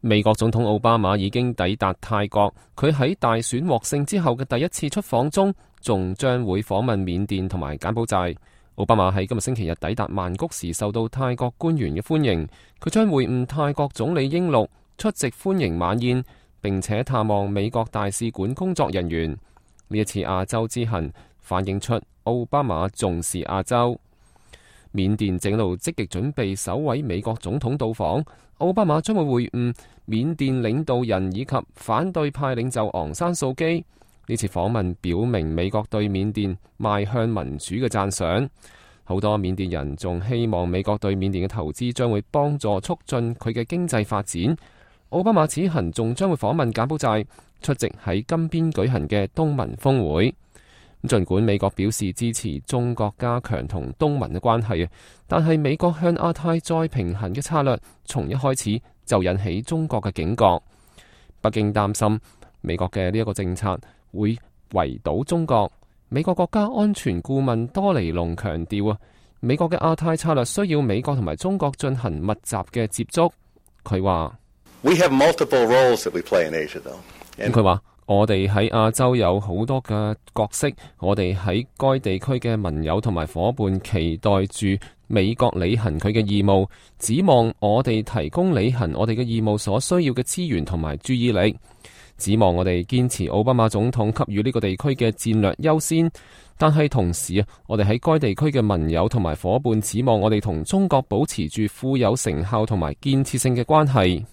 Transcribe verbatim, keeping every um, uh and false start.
美國總統奧巴馬已經抵達泰國，佢喺大選獲勝之後嘅第一次出訪中，仲將會訪問緬甸同埋柬埔寨。奧巴馬喺今日星期日抵達曼谷時，受到泰國官員嘅歡迎，佢將會晤泰國總理英祿，出席歡迎晚宴，並且探望美國大使館工作人員。呢一次亞洲之行反映出奧巴馬重視亞洲。緬甸正路積極準備首位美國總統到訪，奧巴馬將會會晤緬甸領導人以及反對派領袖昂山素基。呢次訪問表明美國對緬甸邁向民主嘅讚賞。好多緬甸人仲希望美國對緬甸嘅投資將會幫助促進佢嘅經濟發展。奧巴馬此行仲將會訪問柬埔寨，出席喺金邊舉行嘅東盟峰會。儘管美國表示支持中國加強同東盟嘅關係，但係美國向亞太再平衡嘅策略從一開始就引起中國嘅警覺。北京擔心美國嘅呢一個政策會圍堵中國。美國國家安全顧問多尼龍強調啊，美國嘅亞太策略需要美國同埋中國進行密集嘅接觸。佢話：We have multiple roles that we play in Asia, though. 佢話。我哋喺亞洲有好多嘅角色，我哋喺該地區嘅盟友同埋夥伴期待住美國履行佢嘅義務，指望我哋提供履行我哋嘅義務所需要嘅資源同埋注意力，指望我哋堅持奧巴馬總統給予呢個地區嘅戰略優先，但係同時啊，我哋喺該地區嘅盟友同埋夥伴指望我哋同中國保持住富有成效同埋建設性嘅關係。